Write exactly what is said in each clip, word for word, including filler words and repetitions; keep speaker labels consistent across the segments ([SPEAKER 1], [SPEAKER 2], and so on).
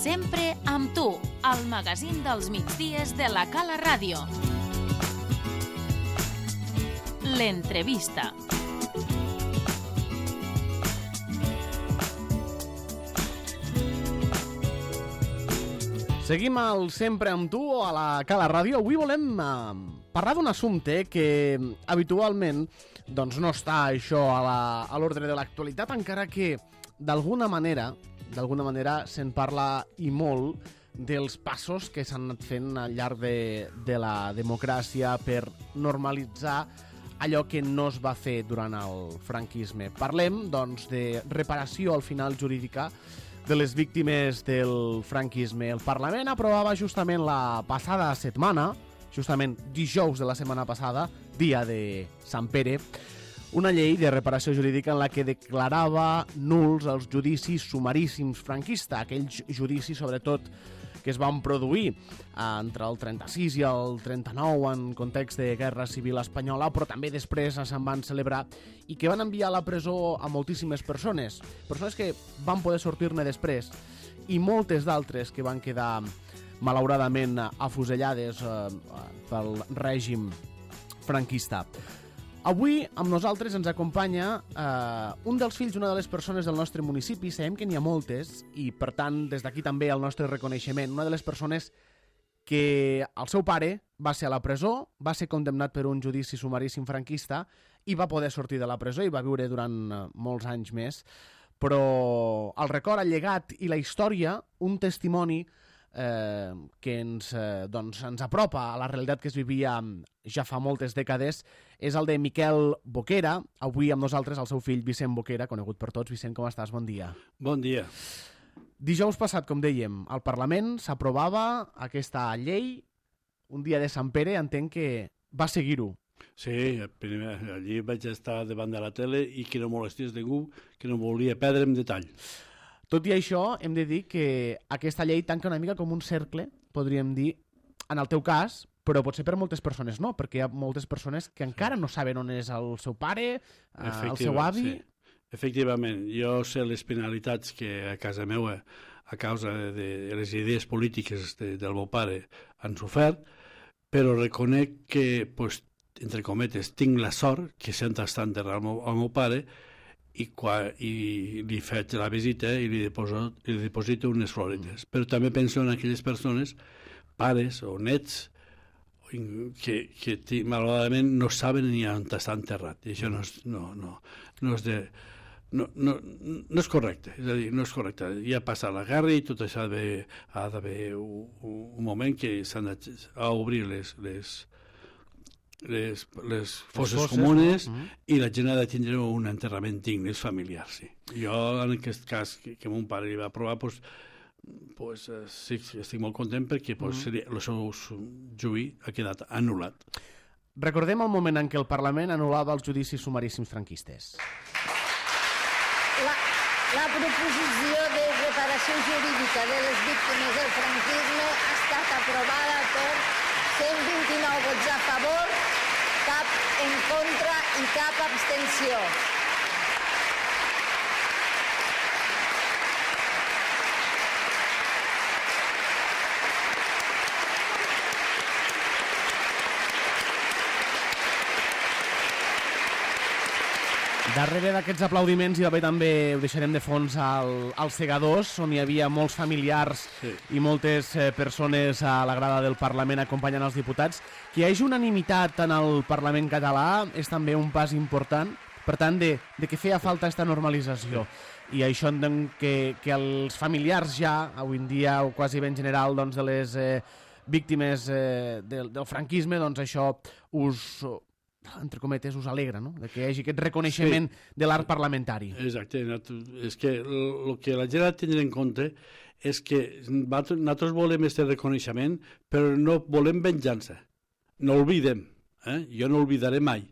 [SPEAKER 1] Sempre amb tu, al magazín dels migdies de la Cala Ràdio. L'entrevista.
[SPEAKER 2] Seguim al Sempre amb tu a la Cala Ràdio. Avui volem eh, parlar d'un assumpte que habitualment doncs, no està això a l'ordre de l'actualitat, encara que d'alguna manera, d'alguna manera se'n parla i molt dels passos que s'han anat fent al llarg de, de la democràcia per normalitzar allò que no es va fer durant el franquisme. Parlem, doncs, de reparació al final jurídica de les víctimes del franquisme. El Parlament aprovava justament la passada setmana, justament dijous de la setmana passada, dia de Sant Pere, una llei de reparació jurídica en la que declarava nuls els judicis sumaríssims franquistes, aquells judicis, sobretot, que es van produir entre el trenta-sis i el trenta-nou en context de guerra civil espanyola, però també després se'n van celebrar i que van enviar a la presó a moltíssimes persones, persones que van poder sortir-ne després, i moltes d'altres que van quedar malauradament afusellades eh, pel règim franquista. Avui amb nosaltres ens acompanya eh, un dels fills d'una de les persones del nostre municipi. Sabem que n'hi ha moltes i, per tant, des d'aquí també el nostre reconeixement. Una de les persones que el seu pare va ser a la presó, va ser condemnat per un judici sumaríssim franquista i va poder sortir de la presó i va viure durant eh, molts anys més. Però el record, el llegat i la història, un testimoni eh, que ens, eh, doncs, ens apropa a la realitat que es vivia ja fa moltes dècades, és el de Miquel Boquera. Avui amb nosaltres el seu fill Vicent Boquera, conegut per tots. Vicent, com estàs? Bon dia.
[SPEAKER 3] Bon dia.
[SPEAKER 2] Dijous passat, com dèiem, al Parlament s'aprovava aquesta llei. Un dia de Sant Pere, entenc que va seguir-ho.
[SPEAKER 3] Sí, primer, allí vaig estar davant de la tele i que no molestés ningú, que no volia perdre en detall.
[SPEAKER 2] Tot i això, hem de dir que aquesta llei tanca una mica com un cercle, podríem dir, en el teu cas, però potser per moltes persones no, perquè hi ha moltes persones que encara no saben on és el seu pare, eh, el seu avi.
[SPEAKER 3] Sí. Efectivament, jo sé les penalitats que a casa meva, a causa de les idees polítiques de, del meu pare, han sofert, però reconec que, pues, entre cometes, tinc la sort que sempre està enterrat el meu, el meu pare i, quan, i li faig la visita i li deposito, li deposito unes floretes. Mm. Però també penso en aquelles persones, pares o nets, que, que malauradament no saben ni on està enterrat. I això no és, no, no, no és de... No, no, no és correcte, és a dir, no és correcte. Ja ha passat la guerra i tot això ha d'haver un, un moment que s'han d'obrir les, les, les, les fosses, fosses comunes, no? Mm-hmm. I la gent ha de tindre un enterrament digne, familiar, sí. Jo, en aquest cas, que, que mon pare li va aprovar, doncs, pues, eh, sí, estic molt content perquè pues, mm. el seu juí ha quedat anul·lat.
[SPEAKER 2] Recordem el moment en què el Parlament anul·lava els judicis sumaríssims franquistes.
[SPEAKER 4] La, la proposició de reparació jurídica de les víctimes del franquisme ha estat aprovada per cent vint-i-nou vots a favor, cap en contra i cap abstenció.
[SPEAKER 2] Darrere d'aquests aplaudiments hi va haver també, ho deixarem de fons, al, als segadors, on hi havia molts familiars sí. i moltes eh, persones a la grada del Parlament acompanyant els diputats. Que hi hagi unanimitat en el Parlament català és també un pas important, per tant, de, de que feia falta aquesta normalització. Sí. I això entenc que, que els familiars ja, avui en dia, o quasi ben general, doncs, de les eh, víctimes eh, del, del franquisme, doncs això us... entre cometes, us alegra, no?, de que hi hagi aquest reconeixement sí. de l'art parlamentari.
[SPEAKER 3] Exacte. És que el que la gent ha de tenir en compte és que nosaltres volem aquest reconeixement, però no volem venjança. No oblidem. Eh? Jo no oblidaré mai.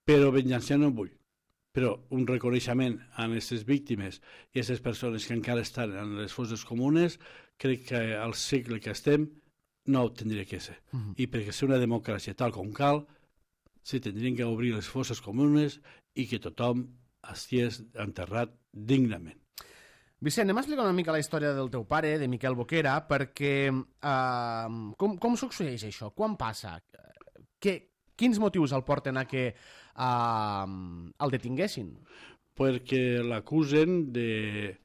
[SPEAKER 3] Però venjança no vull. Però un reconeixement a aquestes víctimes i a aquestes persones que encara estan en les fosses comunes, crec que al segle que estem no ho tindria que ser. Uh-huh. I perquè ser una democràcia tal com cal, se tindrien que obrir les fosses comunes i que tothom estigués enterrat dignament.
[SPEAKER 2] Vicent, anem a explicar una mica la història del teu pare, de Miquel Boquera, perquè uh, com, com succeeix això? Quan passa? Que, quins motius el porten a que uh, el detinguessin?
[SPEAKER 3] Perquè l'acusen de...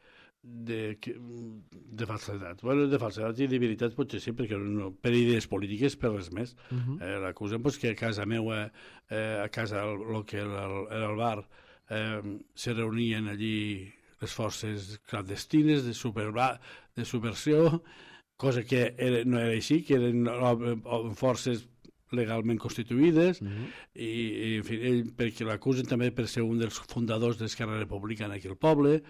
[SPEAKER 3] De, de falsedat. Bueno, de falsedat i de veritat potser sí, perquè no, per idees polítiques, per res més. Uh -huh. eh, L'acusen pues, que a casa meva, eh, a casa, el que era el, era el bar, eh, se reunien allí les forces clandestines de, superba, de subversió, cosa que era, no era així, que eren forces legalment constituïdes, uh -huh. i, i en fi, ell, perquè l'acusen també per ser un dels fundadors d'Esquerra Republicana aquí al poble,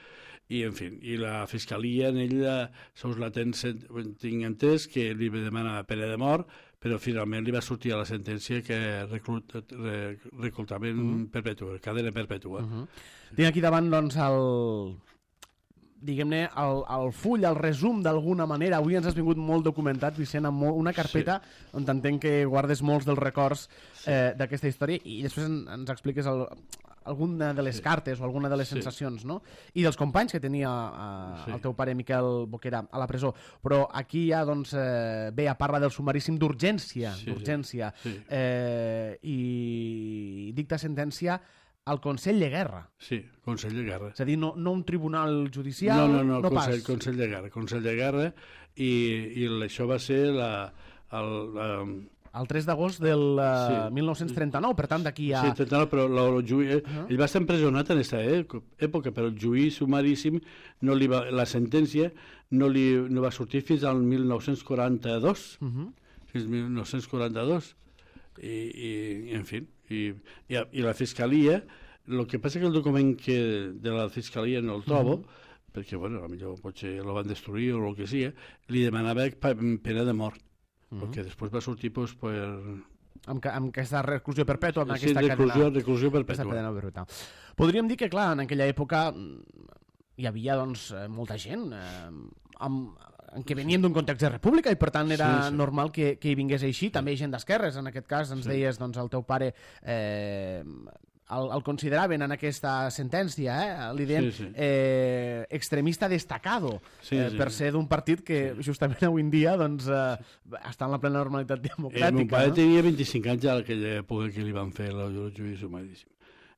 [SPEAKER 3] i en fi, i la fiscalia en ella, sols la ten, tinc entès que li demana pena de mort, però finalment li va sortir a la sentència que reclut, re, reclutament uh -huh. perpètua, cadena perpètua. Uh -huh.
[SPEAKER 2] Tinc aquí davant, doncs, el... diguem-ne, el, el full, el resum d'alguna manera. Avui ens has vingut molt documentat, Vicent, amb una carpeta sí. on entenc que guardes molts dels records sí. eh, d'aquesta història, i després en, ens expliques el, alguna de les sí. cartes o alguna de les sí. sensacions, no? I dels companys que tenia eh, sí. el teu pare Miquel Boquera a la presó. Però aquí ja, doncs, eh, bé, parla del sumaríssim d'urgència, sí, d'urgència, sí. Sí. Eh, i dicta sentència al Consell de Guerra.
[SPEAKER 3] Sí, Consell de Guerra.
[SPEAKER 2] És a dir, no, no un tribunal judicial,
[SPEAKER 3] no, no, no,
[SPEAKER 2] no
[SPEAKER 3] Consell,
[SPEAKER 2] pas.
[SPEAKER 3] Consell de Guerra, Consell de Guerra, i, i això va ser la... El, la
[SPEAKER 2] el tres d'agost del uh, sí. mil nou-cents trenta-nou, per tant, d'aquí a...
[SPEAKER 3] Sí, trenta-nou, però el juí, uh -huh. ell va estar empresonat en aquesta època, però el juí sumaríssim, no li va, la sentència no, li, no va sortir fins al mil nou-cents quaranta-dos. Uh -huh. Fins al mil nou-cents quaranta-dos. I, i en fi, i, i, i la fiscalia, el que passa que el document que de la fiscalia no el trobo, uh -huh. perquè, bueno, potser potser el van destruir o el que sigui, li demanava pena de mort. Uh -huh. Que després va sortir pues, per...
[SPEAKER 2] Amb, amb aquesta reclusió perpètua, amb
[SPEAKER 3] sí,
[SPEAKER 2] aquesta
[SPEAKER 3] reclusió,
[SPEAKER 2] cadena...
[SPEAKER 3] reclusió perpètua.
[SPEAKER 2] cadena perpètua. Podríem dir que, clar, en aquella època hi havia, doncs, molta gent eh, amb, que venien d'un context de república i, per tant, era sí, sí. normal que, que hi vingués així. També gent d'esquerres, en aquest cas, ens sí. deies, doncs, el teu pare... Eh, El, el consideraven en aquesta sentència, eh? li deien sí, sí. Eh, extremista destacado, sí, eh, sí. per ser d'un partit que sí. justament avui en dia doncs, eh, està en la plena normalitat democràtica.
[SPEAKER 3] El meu pare
[SPEAKER 2] no?
[SPEAKER 3] tenia vint-i-cinc anys a aquella època que li van fer el judici sumaríssim.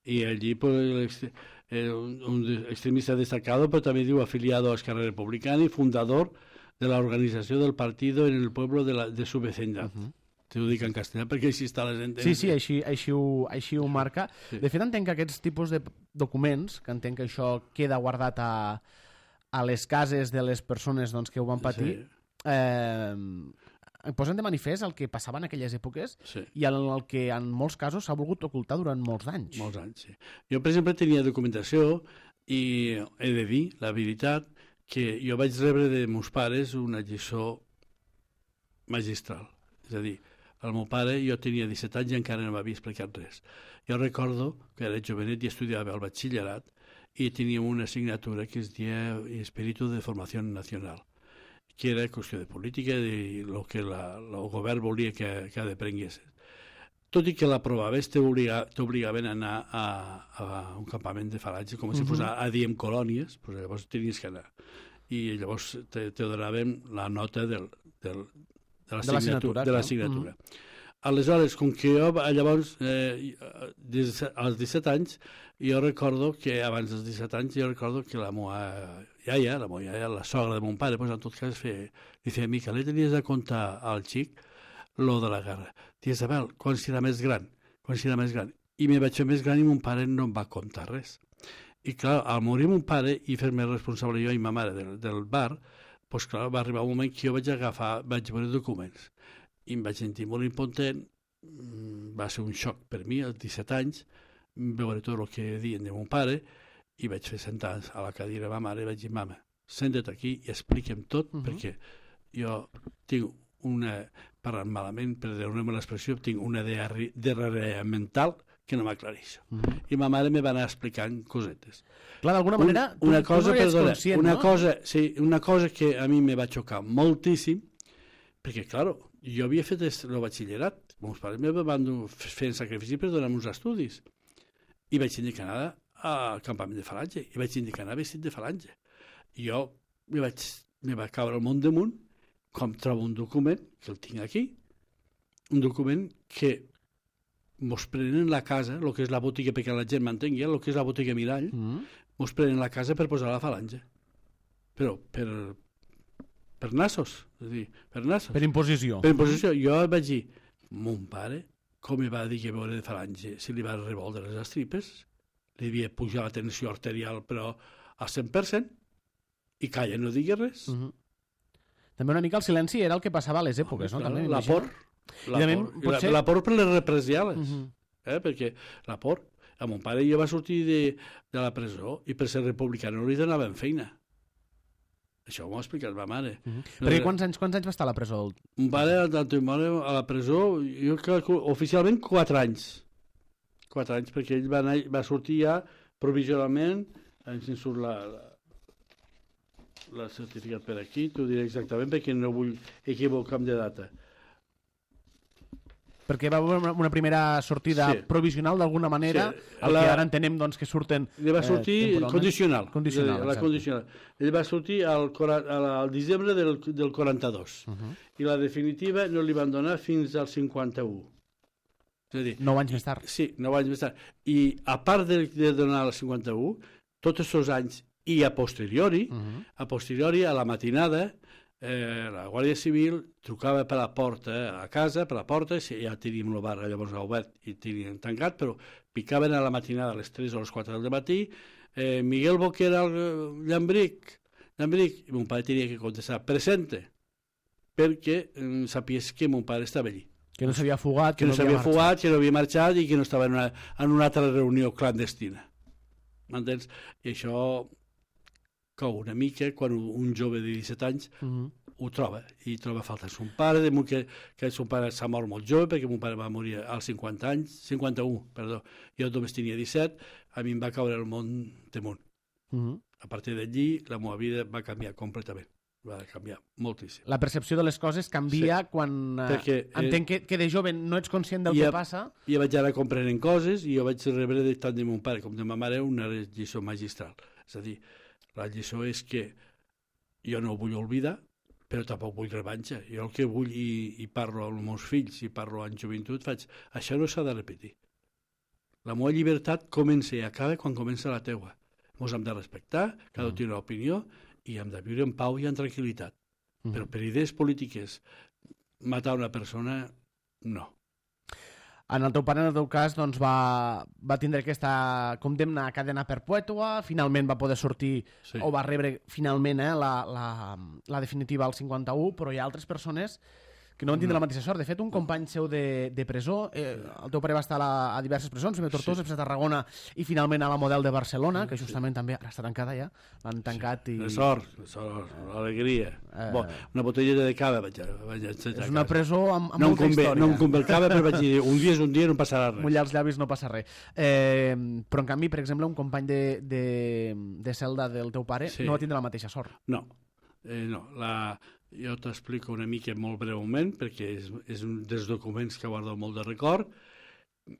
[SPEAKER 3] I allí pues, un, un extremista destacado, però també diu afiliado a Esquerra Republicana i fundador de la organizació del partido en el pueblo de, la, de su vecindad. Uh -huh. T'ho dic en castellà perquè així està la sentència.
[SPEAKER 2] Sí, sí, així, així, ho, així ho marca. Sí. De fet, entenc que aquests tipus de documents, que entenc que això queda guardat a, a les cases de les persones doncs, que ho van patir, sí. eh, posen de manifest el que passava en aquelles èpoques sí. i el, el que en molts casos s'ha volgut ocultar durant molts anys.
[SPEAKER 3] Molts anys, sí. Jo, per exemple, tenia documentació i he de dir, la veritat, que jo vaig rebre de meus pares una lliçó magistral. És a dir, el meu pare, jo tenia disset anys i encara no m'havia explicat res. Jo recordo que era jovenet i estudiava al batxillerat i teníem una assignatura que es deia Espíritu de Formació Nacional, que era qüestió de política i el que la, el govern volia que, que aprengués. Tot i que l'aprovaves, t'obligaven a anar a, a un campament de falatge, com uh -huh. si fos a, a diem colònies, però llavors tenies que anar. I llavors te, te donaven la nota del... del de l'assignatura. De l'assignatura. No? Mm. Aleshores, com que jo llavors, eh, als disset anys, jo recordo que abans dels disset anys, jo recordo que la meva iaia, la meva iaia, la sogra de mon pare, pues, en tot cas, feia, dice, Mica, li tenies de contar al xic lo de la guerra. Dius, Abel, quan serà més gran? Quan serà més gran? I me vaig fer més gran i mon pare no em va contar res. I clar, al morir mon pare i fer-me responsable jo i ma mare del, del bar, doncs clar, va arribar un moment que jo vaig agafar, vaig veure documents i em vaig sentir molt impotent, va ser un xoc per mi, als disset anys, veure tot el que diuen de mon pare i vaig fer sentar a la cadira de ma mare i vaig dir, mama, senta't aquí i explica'm tot, uh -huh. perquè jo tinc una, parlant malament, per dir-me l'expressió, tinc una diarrea mental que no m'aclareix. Uh -huh. I ma mare me va anar explicant cosetes.
[SPEAKER 2] Clar, d'alguna manera,
[SPEAKER 3] una, una
[SPEAKER 2] tu,
[SPEAKER 3] cosa,
[SPEAKER 2] tu no
[SPEAKER 3] perdona,
[SPEAKER 2] conscient,
[SPEAKER 3] una
[SPEAKER 2] no?
[SPEAKER 3] cosa, sí, una cosa que a mi me va xocar moltíssim, perquè, clar, jo havia fet el batxillerat, meus pares me van fer sacrifici per donar-me uns estudis, i vaig tenir que anar al campament de falange, i vaig tenir que anar vestit de falange. I jo me vaig, me va caure el món damunt, com trobo un document, que el tinc aquí, un document que mos prenen la casa, el que és la botiga, perquè la gent m'entengui, el que és la botiga Mirall, mm. mos prenen la casa per posar la falange. Però per, per nassos, és a dir, per nassos.
[SPEAKER 2] Per imposició.
[SPEAKER 3] Per imposició. Jo vaig dir, mon pare, com em va dir que veure de falange, si li va revoldre les estripes, li havia pujat la tensió arterial, però al cent per cent, i calla, no digui res. Uh -huh.
[SPEAKER 2] També una mica el silenci era el que passava a les èpoques, oh, no? També,
[SPEAKER 3] la por. La,
[SPEAKER 2] també,
[SPEAKER 3] por.
[SPEAKER 2] potser...
[SPEAKER 3] la, la por per les represiales. Uh
[SPEAKER 2] -huh.
[SPEAKER 3] eh? Perquè la por, a mon pare jo va sortir de, de la presó i per ser republicà no li donaven feina. Això m'ho ha explicat ma mare.
[SPEAKER 2] Uh -huh. no, Perquè quants anys, quants anys va estar a la presó?
[SPEAKER 3] Un pare a la presó, jo crec que oficialment quatre anys. Quatre anys, perquè ell va, anar, va sortir ja provisionalment, ens en surt la, la, la certificat per aquí, t'ho diré exactament perquè no vull equivocar-me de data.
[SPEAKER 2] Perquè va haver una primera sortida sí. provisional d'alguna manera, sí. el la... que ara entenem doncs, que surten...
[SPEAKER 3] Ell va sortir eh, condicional.
[SPEAKER 2] Condicional,
[SPEAKER 3] la condicional. Ell va sortir al, al desembre del, del quaranta-dos. Uh -huh. I la definitiva no li van donar fins al cinquanta-u. És a dir...
[SPEAKER 2] Nou anys més tard.
[SPEAKER 3] Sí, nou anys més tard. I a part de, de donar el cinquanta-u, tots aquests anys i a posteriori, uh -huh. a posteriori, a la matinada, eh, la Guàrdia Civil trucava per la porta a casa, per la porta, si ja teníem el bar llavors obert i teníem tancat, però picaven a la matinada a les tres o les quatre del matí, eh, Miguel Boquera, el Llambric, Llambric, i mon pare tenia que contestar, presente, perquè eh, sapies que mon pare estava allí.
[SPEAKER 2] Que no s'havia fugat,
[SPEAKER 3] que, que no s'havia fugat, que no havia marxat i que no estava en una, en una altra reunió clandestina. M'entens? I això cou una mica quan un jove de disset anys uh -huh. ho troba, i troba falta son pare, de que, que son pare s'ha mort molt jove, perquè mon pare va morir als cinquanta anys, cinquanta-u, perdó, jo només tenia disset, a mi em va caure el món damunt. Uh -huh. A partir d'allí, la meva vida va canviar completament. Va canviar moltíssim.
[SPEAKER 2] La percepció de les coses canvia sí. quan Perquè, entenc que, que de jove no ets conscient del que
[SPEAKER 3] a,
[SPEAKER 2] passa.
[SPEAKER 3] I vaig anar comprenent coses i jo vaig rebre de tant de mon pare com de ma mare una lliçó magistral. És a dir, la lliçó és que jo no ho vull oblidar, però tampoc vull revanxa. Jo el que vull, i, i parlo amb els meus fills, i parlo en joventut, faig, això no s'ha de repetir. La meva llibertat comença i acaba quan comença la teua. Ens hem de respectar, cada un té una opinió, i hem de viure en pau i en tranquil·litat. Mm. Però per idees polítiques, matar una persona, no.
[SPEAKER 2] En el teu pare, en el teu cas, doncs, va, va tindre aquesta condemna a cadena perpètua, finalment va poder sortir, sí. o va rebre finalment eh, la, la, la definitiva al cinquanta-u, però hi ha altres persones que no van tindre no. la mateixa sort. De fet, un company seu de, de presó, eh, el teu pare va estar a, la, a diverses presons, primer a Tortosa, sí. després a Tarragona i finalment a la Model de Barcelona, que justament sí. també ara està tancada ja, l'han tancat sí. i...
[SPEAKER 3] De sort, de sort, alegria. Eh... Bon, una botelleta de cava vaig, vaig ensenyar.
[SPEAKER 2] És una presó amb, amb
[SPEAKER 3] no
[SPEAKER 2] molta
[SPEAKER 3] convé,
[SPEAKER 2] història.
[SPEAKER 3] No em convé el cava, però vaig dir, un dia és un dia, no passarà res.
[SPEAKER 2] Mullar els llavis no passa res. Eh, però en canvi, per exemple, un company de, de, de celda del teu pare sí. no va tindre la mateixa sort.
[SPEAKER 3] No, eh, no, la... Jo t'explico una mica molt breument, perquè és, és un dels documents que guardo molt de record,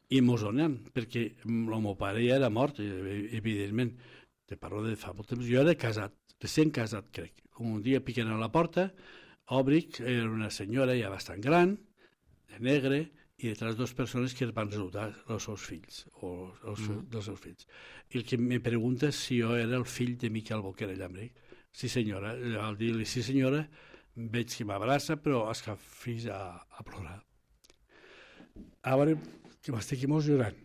[SPEAKER 3] i mos donen, perquè el meu pare ja era mort, evidentment. Te parlo de fa molt temps. Jo era casat, recent casat, crec. Un dia piquen a la porta, obric, era una senyora ja bastant gran, de negre, i detrás dos persones que van saludar els seus fills, o els mm. dels seus fills. I el que me pregunta si jo era el fill de Miquel Boquera Llambric. Sí senyora, al dir-li sí senyora, veig que m'abraça, però es que fins a, a plorar. Ara que m'estic emocionant.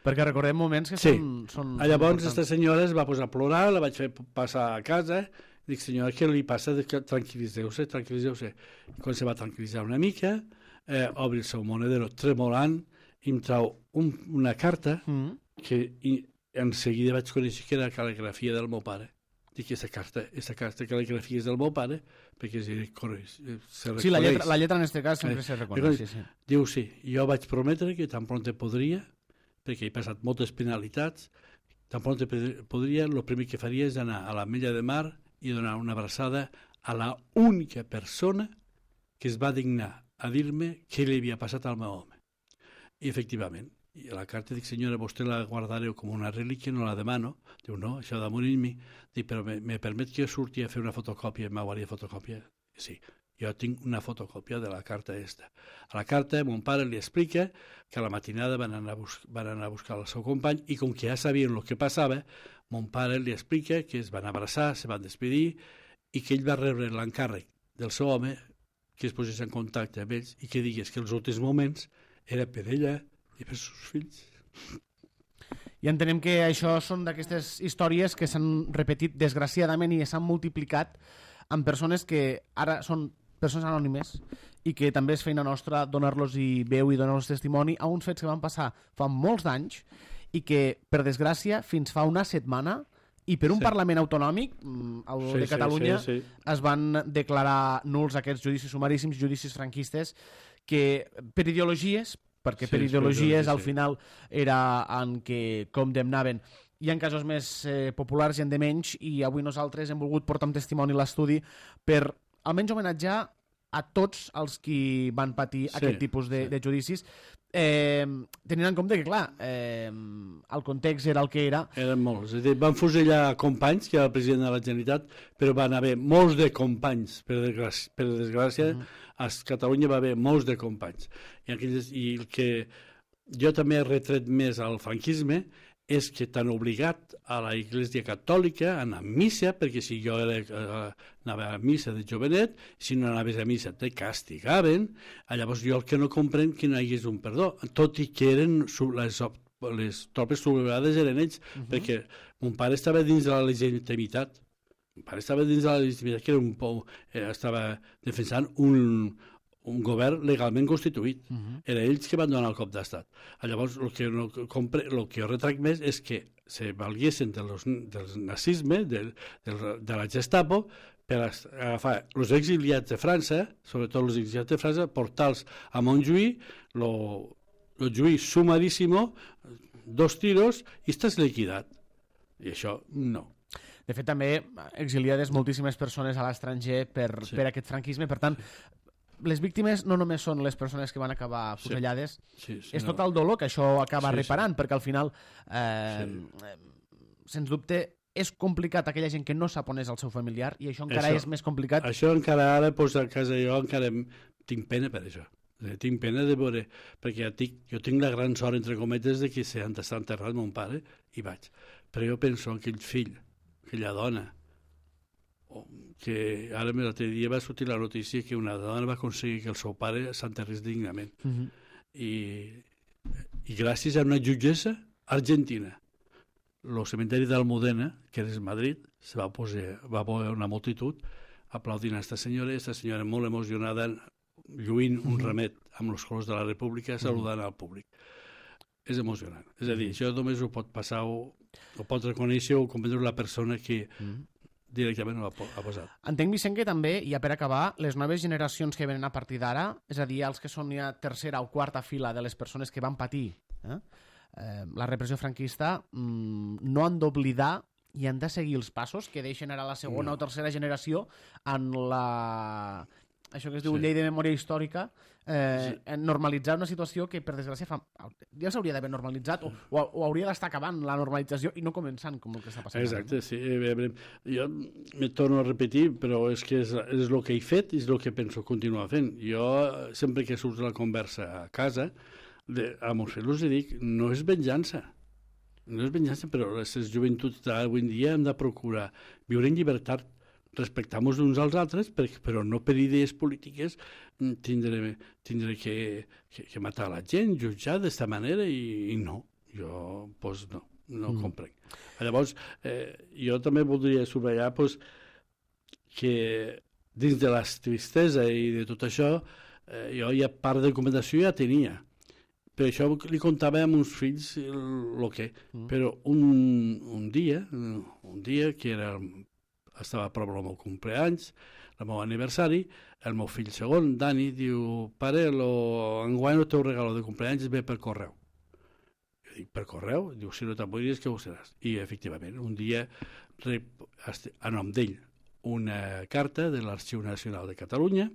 [SPEAKER 2] Perquè recordem moments que
[SPEAKER 3] sí.
[SPEAKER 2] són, són...
[SPEAKER 3] Llavors, aquesta senyora es va posar a plorar, la vaig fer passar a casa, dic, senyora, què li passa? Tranquil·litzeu-se, tranquil·litzeu-se. Quan se va tranquil·litzar una mica, eh, obri el seu monedero tremolant, i em trau un, una carta mm. que i, en seguida vaig conèixer que era la cal·ligrafia del meu pare. Dic que aquesta carta, aquesta carta cal·ligrafia és del meu pare, perquè es reconeix.
[SPEAKER 2] Sí, la lletra, la lletra en aquest cas sempre eh, se reconeix. Sí, sí.
[SPEAKER 3] Diu, sí, jo vaig prometre que tan pront podria, perquè he passat moltes penalitats, tan pront podria, el primer que faria és anar a l'Ametlla de Mar i donar una abraçada a la única persona que es va dignar a dir-me què li havia passat al meu home. I efectivament, I a la carta dic, senyora, vostè la guardareu com una relíquia, no la demano. Diu, no, això ha de morir en mi. Dic, però me, me permet que jo surti a fer una fotocòpia, m'hauria fotocòpia? Sí, jo tinc una fotocòpia de la carta esta. A la carta, mon pare li explica que a la matinada van anar a, bus van anar a buscar el seu company i com que ja sabien el que passava, mon pare li explica que es van abraçar, se van despedir i que ell va rebre l'encàrrec del seu home que es posés en contacte amb ells i que digués que els últims moments era per ella i per els seus fills.
[SPEAKER 2] I entenem que això són d'aquestes històries que s'han repetit desgraciadament i s'han multiplicat amb persones que ara són persones anònimes i que també és feina nostra donar-los i veu i donar-los testimoni a uns fets que van passar fa molts d'anys i que, per desgràcia, fins fa una setmana i per un sí. Parlament autonòmic, el sí, de Catalunya, sí, sí, sí. es van declarar nuls aquests judicis sumaríssims, judicis franquistes, que per ideologies, perquè per sí, ideologies al final era en què condemnaven. Hi ha casos més eh, populars i en de menys, i avui nosaltres hem volgut portar un testimoni a l'estudi per almenys homenatjar a tots els qui van patir sí, aquest tipus de, sí. de judicis, eh, tenint en compte que, clar, eh, el context era el que era.
[SPEAKER 3] Eren molts. És a dir, van fusellar companys, que era el president de la Generalitat, però van haver molts de companys, per desgràcia, per desgràcia uh -huh. a Catalunya va haver molts de companys. I, aquells, i el que jo també he retret més al franquisme és que t'han obligat a la Iglésia Catòlica a anar a missa, perquè si jo era, eh, anava a missa de jovenet, si no anaves a missa te castigaven. Llavors jo el que no comprenc que no hi hagués un perdó, tot i que eren les, les tropes sublevades eren ells, uh -huh. perquè mon pare estava dins de la legitimitat. Mon pare estava dins de la legitimitat, que era un pou, eh, estava defensant un... un govern legalment constituït. Uh -huh. Era ells que van donar el cop d'estat. Llavors, el que, no compre, el que jo retrac més és que se valguessin de los, del nazisme, de, de, de la Gestapo, per agafar els exiliats de França, sobretot els exiliats de França, portar-los a Montjuïc, lo, lo juí sumaríssimo, dos tiros, i estàs liquidat. I això, no.
[SPEAKER 2] De fet, també exiliades moltíssimes persones a l'estranger per, sí. per aquest franquisme, per tant, les víctimes no només són les persones que van acabar fusellades, sí. Sí, sí, és no. tot el dolor que això acaba sí, reparant, sí. perquè al final, eh, sí. eh, sens dubte, és complicat aquella gent que no sap on és el seu familiar, i això encara això, és més complicat.
[SPEAKER 3] Això encara ara, doncs, a casa jo encara tinc pena per això. Tinc pena de veure, perquè ja tinc, jo tinc la gran sort, entre cometes, de que s'han d'estar enterrat mon pare, i vaig. Però jo penso en aquell fill, aquella dona, que ara l'altre dia va sortir la notícia que una dona va aconseguir que el seu pare s'enterrés dignament. Uh -huh. I, I gràcies a una jutgessa argentina, el cementeri d'Almudena, que és Madrid, se va posar, va posar una multitud aplaudint a aquesta senyora, i aquesta senyora molt emocionada, lluint un uh -huh. ramet amb els colors de la República, saludant uh -huh. al públic. És emocionant. És a dir, això només ho pot passar, o, o pot reconèixer o comprendre la persona que uh -huh. directament ho ha posat.
[SPEAKER 2] Entenc, Vicent, que també, ja per acabar, les noves generacions que venen a partir d'ara, és a dir, els que són ja tercera o quarta fila de les persones que van patir eh, eh, la repressió franquista, mmm, no han d'oblidar i han de seguir els passos que deixen ara la segona no. o tercera generació en la... això que es diu sí. llei de memòria històrica, eh, sí. en normalitzar una situació que, per desgràcia, fa... ja s'hauria d'haver normalitzat o, o, o hauria d'estar acabant la normalització i no començant, com el que està passant.
[SPEAKER 3] Exacte, ara, no? sí. Jo me torno a repetir, però és que és, és el que he fet i és el que penso continuar fent. Jo, sempre que surts la conversa a casa, de, a meus fills els dic, no és venjança. No és venjança, però les joventuts d'avui en dia hem de procurar viure en llibertat, respectar-nos uns als altres, però no per idees polítiques tindré, tindré que, que, que matar la gent, jutjar d'esta manera, i, i no. Jo, doncs, no, no mm. comprenc. Llavors, eh, jo també voldria subratllar pues, que dins de la tristesa i de tot això, eh, jo ja part de documentació ja tenia. Per això li contava a meus fills el que... Mm. Però un, un dia, un dia que era... estava a prop del meu compleanys, el meu aniversari, el meu fill segon, Dani, diu, pare, lo... enguany el teu regalo de compleanys ve per correu. Jo dic, per correu? Diu, si no te'n vull dir, és que ho seràs. I, efectivament, un dia rep a nom d'ell una carta de l'Arxiu Nacional de Catalunya,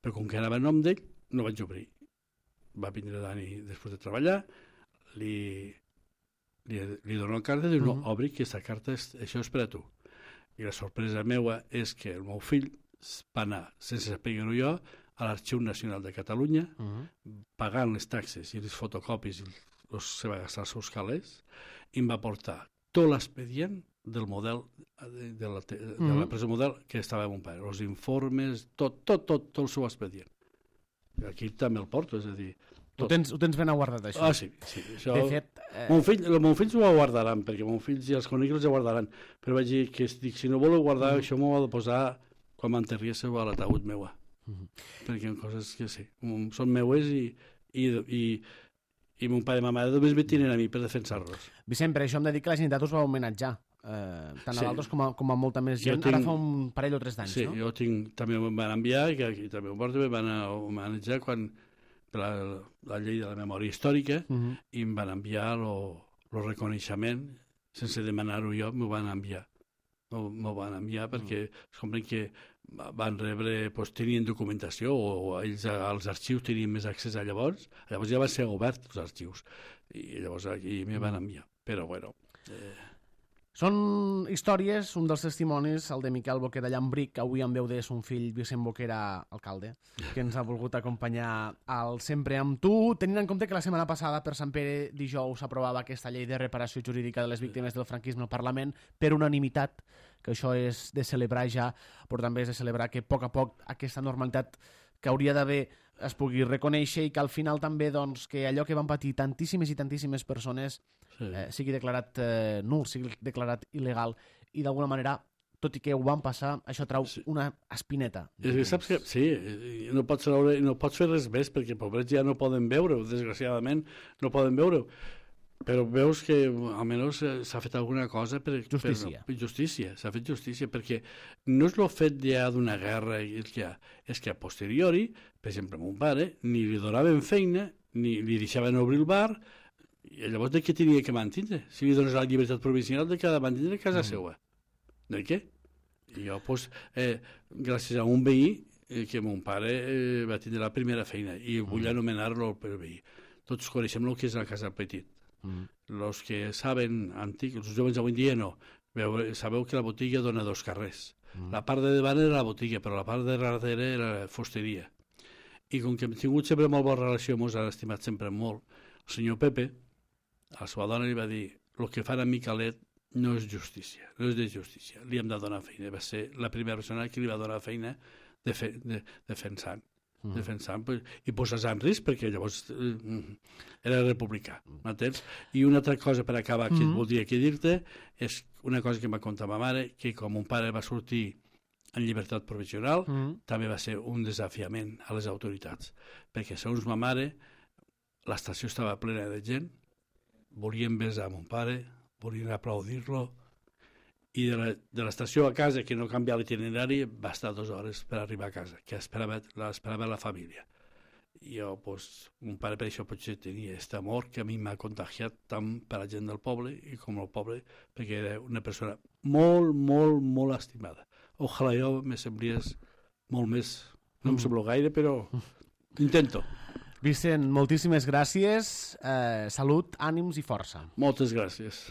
[SPEAKER 3] però com que anava a nom d'ell, no vaig obrir. Va vindre Dani després de treballar, li, li, li dono la carta i diu, no,
[SPEAKER 2] Mhm.
[SPEAKER 3] obri, que aquesta carta, és, això és per a tu. I la sorpresa meua és que el meu fill va anar, sense saber-ho jo, a l'Arxiu Nacional de Catalunya,
[SPEAKER 2] Uh -huh.
[SPEAKER 3] pagant les taxes i les fotocopis i els, se va gastar els seus calés, i em va portar tot l'expedient del model de, de, la, de
[SPEAKER 2] Mhm.
[SPEAKER 3] la presó model que estava amb un pare, els informes, tot, tot, tot, tot el seu expedient. I aquí també el porto, és a dir...
[SPEAKER 2] Ho tens, ho tens ben aguardat, això.
[SPEAKER 3] Ah, sí, sí. Això...
[SPEAKER 2] De fet... Eh...
[SPEAKER 3] Mon fill, els meus fills ho guardaran, perquè meus fills i els conegui els guardaran, però vaig dir que dic, si no voleu guardar,
[SPEAKER 2] Mhm.
[SPEAKER 3] això m'ho ha de posar quan m'enterriéssiu a l'ataúd meua.
[SPEAKER 2] Mhm.
[SPEAKER 3] Perquè hi ha coses que sí, mm, són meues i, i, i, i mon pare i ma mare només me tiren a mi per defensar-los.
[SPEAKER 2] Vicent, per això em dedica a la Generalitat us va homenatjar. Eh, tant
[SPEAKER 3] Sí.
[SPEAKER 2] a l'altres com, a, com a molta més
[SPEAKER 3] Jo
[SPEAKER 2] gent.
[SPEAKER 3] tinc-
[SPEAKER 2] Ara fa un parell o tres d'anys,
[SPEAKER 3] Sí,
[SPEAKER 2] no?
[SPEAKER 3] jo tinc, també em van enviar, i, que, i també ho porto, em van homenatjar quan per la, la llei de la memòria històrica,
[SPEAKER 2] Uh -huh.
[SPEAKER 3] i em van enviar el reconeixement, sense demanar-ho jo, m'ho van enviar. M'ho van enviar perquè es compren que van rebre, doncs, tenien documentació, o, o ells als arxius tenien més accés a llavors, llavors ja van ser oberts els arxius, i llavors aquí m'hi van enviar. Però, bueno... Eh...
[SPEAKER 2] Són històries, un dels testimonis, el de Miquel Boquera Llambric, avui en veu de son fill Vicent Boquera, alcalde, que ens ha volgut acompanyar al Sempre amb tu, tenint en compte que la setmana passada per Sant Pere dijous s'aprovava aquesta llei de reparació jurídica de les víctimes del franquisme al Parlament per unanimitat, que això és de celebrar ja, però també és de celebrar que a poc a poc aquesta normalitat que hauria d'haver es pugui reconèixer i que al final també doncs, que allò que van patir tantíssimes i tantíssimes persones eh, sigui declarat eh, nul, sigui declarat il·legal i d'alguna manera, tot i que ho van passar, això trau
[SPEAKER 3] Sí.
[SPEAKER 2] una espineta.
[SPEAKER 3] És que saps que, sí, no pots, veure, no pots fer res més perquè pobrets ja no poden veure-ho, desgraciadament no poden veure-ho, però veus que almenys s'ha fet alguna cosa per...
[SPEAKER 2] Justícia.
[SPEAKER 3] Per, justícia, s'ha fet justícia, perquè no és el fet ja d'una guerra, el que ha, és que a posteriori, per exemple, mon pare, ni li donaven feina, ni li deixaven obrir el bar, i llavors de què tenia que mantindre? Si li dones la llibertat provisional, de què ha de mantindre a casa mm. seva? De què? I jo, doncs, eh, gràcies a un veí, eh, que mon pare eh, va tindre la primera feina, i vull anomenar-lo per veí. Tots coneixem el que és la casa petit.
[SPEAKER 2] Mm.
[SPEAKER 3] Els que saben, antic, els joves avui en dia no, Veu, sabeu que la botiga dona dos carrers. Mm. La part de davant era la botiga, però la part de darrere era la fusteria. I com que hem tingut sempre molt bona relació, mos han estimat sempre molt, el senyor Pepe, a la seva dona li va dir, el que fan a Miquelet no és justícia, no és de justícia, li hem de donar feina. Va ser la primera persona que li va donar feina de fe, de, defensant, mm. defensant i posar-se en risc, perquè llavors eh, era republicà, m'entens? I una altra cosa per acabar que mm. voldria que dir-te és una cosa que em va contar ma mare, que quan mon pare va sortir en llibertat provisional, mm. també va ser un desafiament a les autoritats, perquè segons ma mare l'estació estava plena de gent, volien besar mon pare, volien aplaudir-lo, i de l'estació a casa, que no canvia l'itinerari, va estar dues hores per arribar a casa, que esperava, l'esperava la família. I jo, doncs, mon pare per això potser tenia aquest amor que a mi m'ha contagiat tant per la gent del poble i com el poble, perquè era una persona molt, molt, molt estimada. Ojalà jo me semblés molt més, no em semblo gaire, però intento.
[SPEAKER 2] Vicent, moltíssimes gràcies, eh, salut, ànims i força.
[SPEAKER 3] Moltes gràcies.